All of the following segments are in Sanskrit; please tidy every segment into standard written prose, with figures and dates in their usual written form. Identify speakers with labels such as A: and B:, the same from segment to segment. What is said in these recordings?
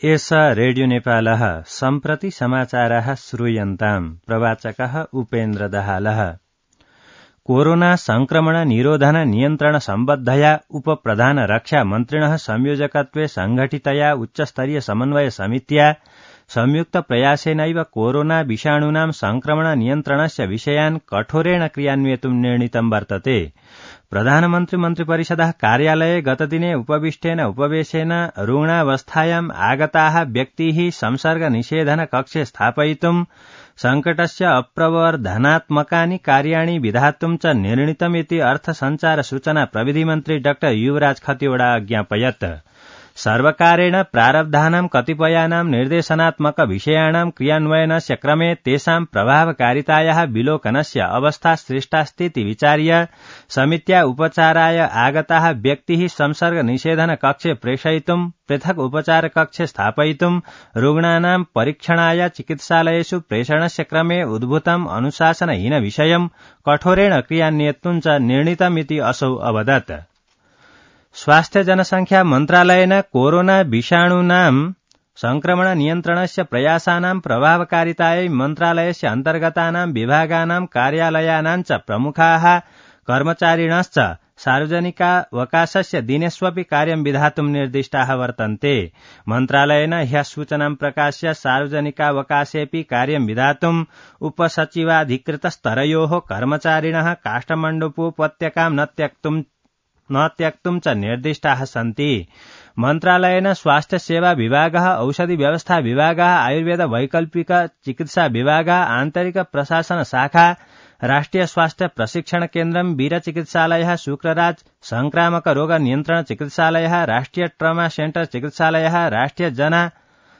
A: एष रेडियो नेपालः सम्प्रति समाचाराः श्रूयन्ताम्। प्रवाचकः उपेन्द्र दाहालः। कोरोना संक्रमण निरोधन नियन्त्रण सम्बद्धया उपप्रधान रक्षा मन्त्रिणः संयोजकत्वे संघटितया उच्चस्तरीय समन्वय समित्या संयुक्त प्रयासेनैव कोरोना विषाणूनां संक्रमण नियन्त्रणस्य विषयान् कठोरेण क्रियान्वेतुं निर्णीतं वर्तते। प्रधानमन्त्री मन्त्रिपरिषदः कार्यालये गतदिने उपविष्टेन उपवेशेन रुग्णावस्थायाम् आगताः व्यक्तिः संसर्ग निषेधन कक्षे स्थापयितुं संकटस्य अप्रवर्धनात्मकानि कार्याणि विधातुं च निर्णीतमिति अर्थ संचार सूचना प्रविधि मन्त्री डॉ युवराज खतिवड़ा अज्ञापयत्। सर्वकारेण प्रारब्धानां कतिपयानां निर्देशनात्मक विषयाणां क्रियान्वयनस्य क्रमे तेषां प्रभावकारितायाः विलोकनस्य अवस्था सृष्टास्तीति विचार्य समित्या उपचाराय आगताः व्यक्तिः संसर्ग निषेधन कक्षे प्रेषयितुं पृथक् उपचार कक्षे स्थापयितुं रुग्णानां परीक्षणाय चिकित्सालयेषु प्रेषणस्य क्रमे उद्भूतम् अनुशासनहीन विषयं कठोरेण क्रियान्वेतुं च निर्णीतमिति असौ अवदत्। स्वास्थ्य जनसंख्या मन्त्रालयेन कोरोना विषाणूनां संक्रमण नियन्त्रणस्य प्रयासानां प्रभावकारितायै मन्त्रालयस्य अन्तर्गतानां विभागानां कार्यालयानां च प्रमुखाः कर्मचारिणश्च सार्वजनिकावकाशस्य दिनेष्वपि कार्यं विधातुं निर्दिष्टाः वर्तन्ते। मन्त्रालयेन ह्यः सूचनां प्रकाश्य सार्वजनिकावकाशेऽपि कार्यं विधातुं उपसचिवाधिकृतस्तरयोः कर्मचारिणः काष्ठमण्डपोपत्यकां न त्यक्तुं च निर्दिष्टाः सन्ति। मन्त्रालयेन स्वास्थ्य सेवा विभागः, औषधि व्यवस्था विभागः, आयुर्वेद वैकल्पिक चिकित्सा विभागः, आन्तरिक प्रशासन शाखा, राष्ट्रिय स्वास्थ्य प्रशिक्षण केन्द्रं, वीर चिकित्सालयः, शुक्रराज संक्रामक रोग नियन्त्रण चिकित्सालयः, राष्ट्रिय ट्रमा सेन्टर चिकित्सालयः, राष्ट्रिय जना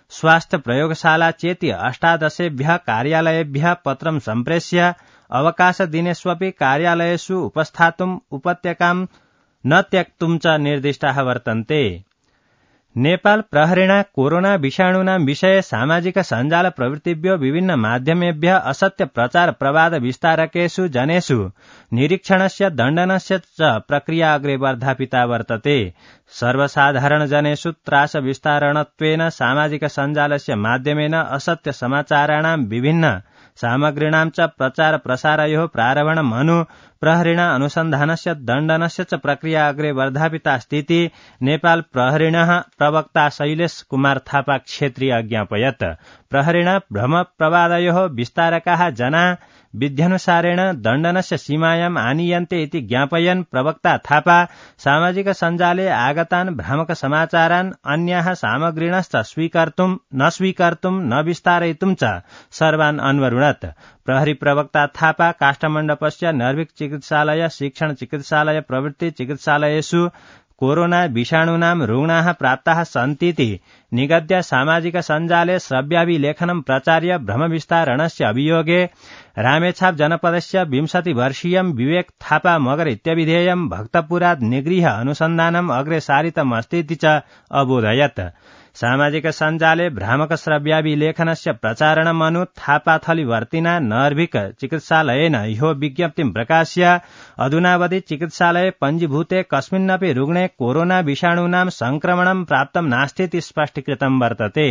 A: स्वास्थ्य प्रयोगशाला चेति 18 कार्यालयेभ्यः पत्रं सम्प्रेष्य अवकाश दिनेष्वपि कार्यालयेषु उपस्थातुं उपत्यकां न त्यक्तुं च निर्दिष्टाः वर्तन्ते। नेपाल प्रहरेण कोरोना विषाणूनां विषये सामाजिक सञ्जाल प्रवृत्तिभ्यो विभिन्न माध्यमेभ्यः असत्य प्रचार प्रवाद विस्तारकेषु जनेषु निरीक्षणस्य दण्डनस्य च प्रक्रिया अग्रे वर्धापिता वर्तते। सर्वसाधारण जनेषु त्रास विस्तारणत्वेन सामाजिक सञ्जालस्य माध्यमेन असत्य समाचाराणां विभिन्न सामग्रीणां च प्रचार प्रसारयोः प्रारम्भणम् अनु प्रहरेण अनुसन्धानस्य दण्डनस्य च प्रक्रिया अग्रे वर्धापितास्तीति नेपाल प्रहरेणः प्रवक्ता शैलेश कुमार थापा क्षेत्रीय अज्ञापयत्। प्रहरेण भ्रम प्रवादयोः विस्तारकाः जना विध्यनुसारेण दण्डनस्य सीमायाम् आनीयन्ते इति ज्ञापयन् प्रवक्ता थापा सामाजिक सञ्जाले आगतान् भ्रामक समाचारान् अन्याः सामग्रीणश्च स्वीकर्तुं न विस्तारयितुं च सर्वान् अन्वरुणत्। प्रहरी प्रवक्ता थापा काष्ठमण्डपस्य नर्भिक चिकित्सालय, शिक्षण चिकित्सालय प्रभृति चिकित्सालयेषु कोरोना विषाणूनां रुग्णाः प्राप्ताः सन्तीति निगद्य सामाजिक सञ्जाले श्रव्याभिलेखनं प्रचार्य भ्रमविस्तारणस्य अभियोगे रामेछाप जनपदस्य 20 वर्षीयं विवेक थापा मगर इत्यभिधेयं भक्तपुरात् निगृह्य अनुसन्धानम् अग्रे सारितमस्तीति च अबोधयत्। सामाजिक सञ्जाले भ्रामक श्रव्याभिलेखनस्य प्रचारणम् अनु थापाथलीवर्तिना नर्भिक चिकित्सालयेन ह्यो विज्ञप्तिं प्रकाश्य अधुनावधि चिकित्सालये पञ्जीभूते कस्मिन्नपि रुग्णे कोरोना विषाणूनां संक्रमणं प्राप्तं नास्तीति स्पष्टीकृतं वर्तते।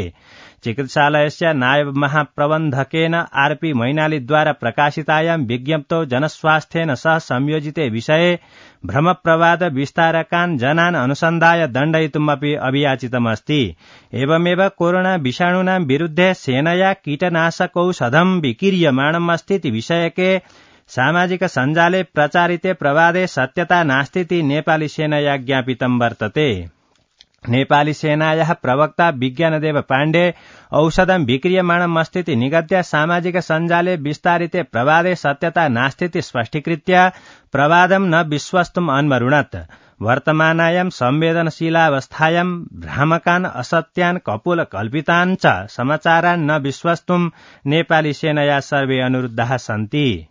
A: चिकित्सालयस्य नायब महाप्रबन्धकेन आरपी मैनालीद्वारा प्रकाशितायां विज्ञप्तौ जनस्वास्थ्येन सह संयोजिते विषये भ्रमप्रवाद विस्तारकान् जनान् अनुसन्धाय दण्डयितुमपि अभियाचितमस्ति। एवमेव कोरोना विषाणूनां विरुद्धे सेनया कीटनाशकौषधं विकीर्यमाणमस्तीति विषयके सामाजिक सञ्जाले प्रचारिते प्रवादे सत्यता नास्तीति नेपाली सेनया ज्ञापितं वर्तते। नेपाली सेनायाः प्रवक्ता विज्ञानदेव पाण्डे औषधं विक्रियमाणमस्तीति निगद्य सामाजिक सञ्जाले विस्तारिते प्रवादे सत्यता नास्तीति स्पष्टीकृत्य प्रवादं न विश्वस्तुम् अन्वरुणत्। वर्तमानायां संवेदनशीलावस्थायां भ्रामकान् असत्यान् कपोल कल्पितान् च समाचारान् न विश्वस्तुम् नेपाली सेनया सर्वे अनुरुद्धाः सन्ति।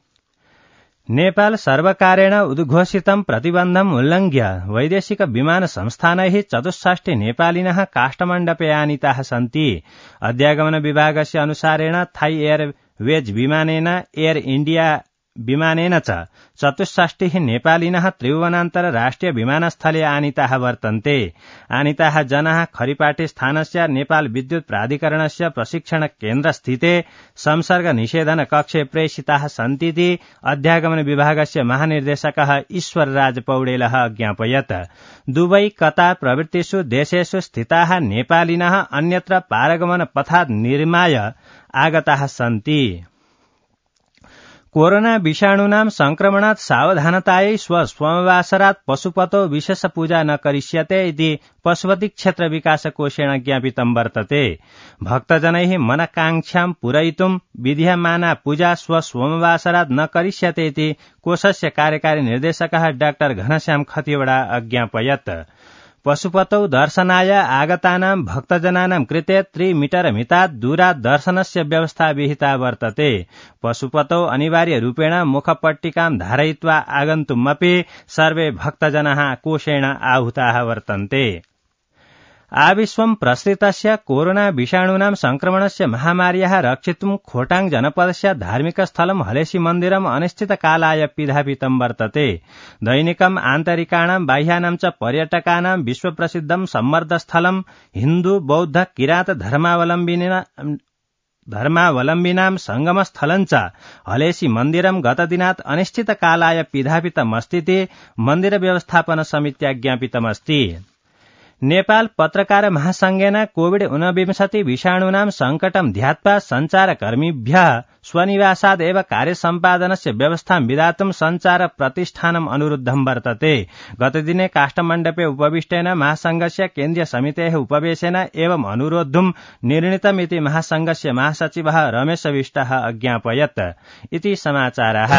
A: नेपाल सर्वकारेण उद्घोषितं प्रतिबन्धम् उल्लङ्घ्य वैदेशिक विमान संस्थानैः 64 नेपालिनः काष्ठमण्डपे आनीताः सन्ति। अध्यागमन विभागस्य अनुसारेण थाई एयरवेज विमानेन एयर इण्डिया विमानेन च 64 नेपालिनः त्रिभुवनान्तर राष्ट्रिय विमानस्थले आनीताः वर्तन्ते। आनीताः जनाः खरिपाटे स्थानस्य नेपाल विद्युत प्राधिकरणस्य प्रशिक्षण केन्द्रस्थिते संसर्ग निषेधन कक्षे प्रेषिताः सन्तीति अध्यागमन विभागस्य महानिर्देशकः ईश्वरराज पौडेलः अज्ञापयत्। दुबई कतार प्रभृतिषु देशेषु स्थिताः नेपालिनः अन्यत्र पारगमन पथात् निर्माय आगताः सन्ति। कोरोना विषाणूनां संक्रमणात् सावधानतायै स्वसोमवासरात् पशुपतौ विशेष पूजा न करिष्यते इति पशुपति क्षेत्र विकास कोषेण ज्ञापितं वर्तते। भक्तजनैः मनकांक्षां पूरयितुं विधीयमाना पूजा स्वसोमवासरात् न करिष्यते इति कोषस्य कार्यकारी निर्देशकः डाक्टर घनश्याम खतिवडा अज्ञापयत्। पशुपतौ दर्शनाय आगतानां भक्तजनानां कृते 3 मीटर मितात् दूरात् दर्शनस्य व्यवस्था विहिता वर्तते। पशुपतौ अनिवार्य रूपेण मुखपट्टिकां धारयित्वा आगन्तुमपि सर्वे भक्तजनाः कोषेण आहुताः वर्तन्ते। आविश्वं प्रसृतस्य कोरोना विषाणूनां संक्रमणस्य महामार्याः रक्षितुं खोटाङ जनपदस्य धार्मिक स्थलं हलेसी मन्दिरम् अनिश्चितकालाय पिधापितं वर्तते। दैनिकम् आन्तरिकाणां बाह्यानां च पर्यटकानां विश्वप्रसिद्धं सम्मर्दस्थलं हिन्दू बौद्ध किरात धर्मावलम्बिनां संगमस्थलं च हलेसी मन्दिरं गतदिनात् अनिश्चितकालाय पिधापितमस्तीति मन्दिर व्यवस्थापन समित्या ज्ञापितमस्ति। नेपाल पत्रकार महासंघेन कोविड-19 विषाणूनां संकटं ध्यात्वा संचारकर्मीभ्यः स्वनिवासाद् एव कार्यसम्पादनस्य व्यवस्थां विधातुं संचार प्रतिष्ठानम् अनुरुद्धं वर्तते। गतदिने काष्ठमण्डपे उपविष्टेन महासंघस्य केन्द्रीय समितेः उपवेशेन एवम् अनुरोद्धुं निर्णीतमिति महासंघस्य महासचिवः रमेश विष्टः अज्ञापयत् इति समाचारः।